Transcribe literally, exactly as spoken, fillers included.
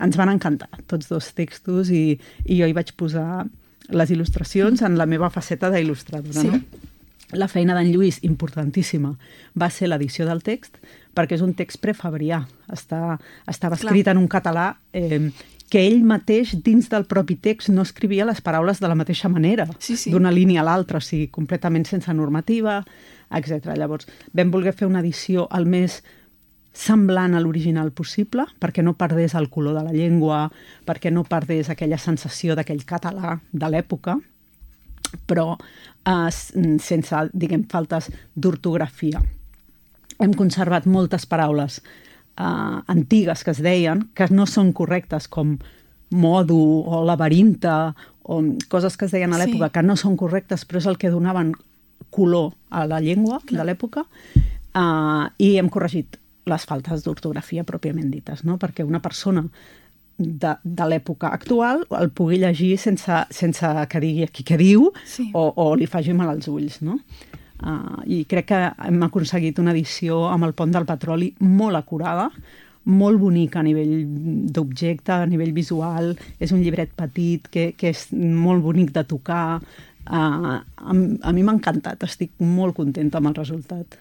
ens van encantar, tots dos textos, i, i jo hi vaig posar les il·lustracions en la meva faceta d'il·lustradora. Sí. No? La feina d'en Lluís, importantíssima, va ser l'edició del text, perquè és un text prefabrià. Està, estava escrit Clar. en un català eh, que ell mateix, dins del propi text, no escrivia les paraules de la mateixa manera, sí, sí. d'una línia a l'altra, o sigui, completament sense normativa, etcètera. Llavors, vam voler fer una edició al més semblant a l'original possible, perquè no perdés el color de la llengua, perquè no perdés aquella sensació d'aquell català de l'època, però eh, sense, diguem, faltes d'ortografia. Hem conservat moltes paraules eh, antigues que es deien, que no són correctes, com modo o laberinta, o coses que es deien a l'època sí. que no són correctes, però és el que donaven color a la llengua Clar. de l'època, eh, i hem corregit les faltes d'ortografia pròpiament dites, no? Perquè una persona de, de l'època actual el pugui llegir sense, sense que digui aquí què diu sí. o, o li faci mal als ulls, no? Uh, I crec que hem aconseguit una edició amb el Pont del Petroli molt acurada, molt bonica a nivell d'objecte, a nivell visual. És un llibret petit que, que és molt bonic de tocar. Uh, a, a mi m'ha encantat, estic molt contenta amb el resultat.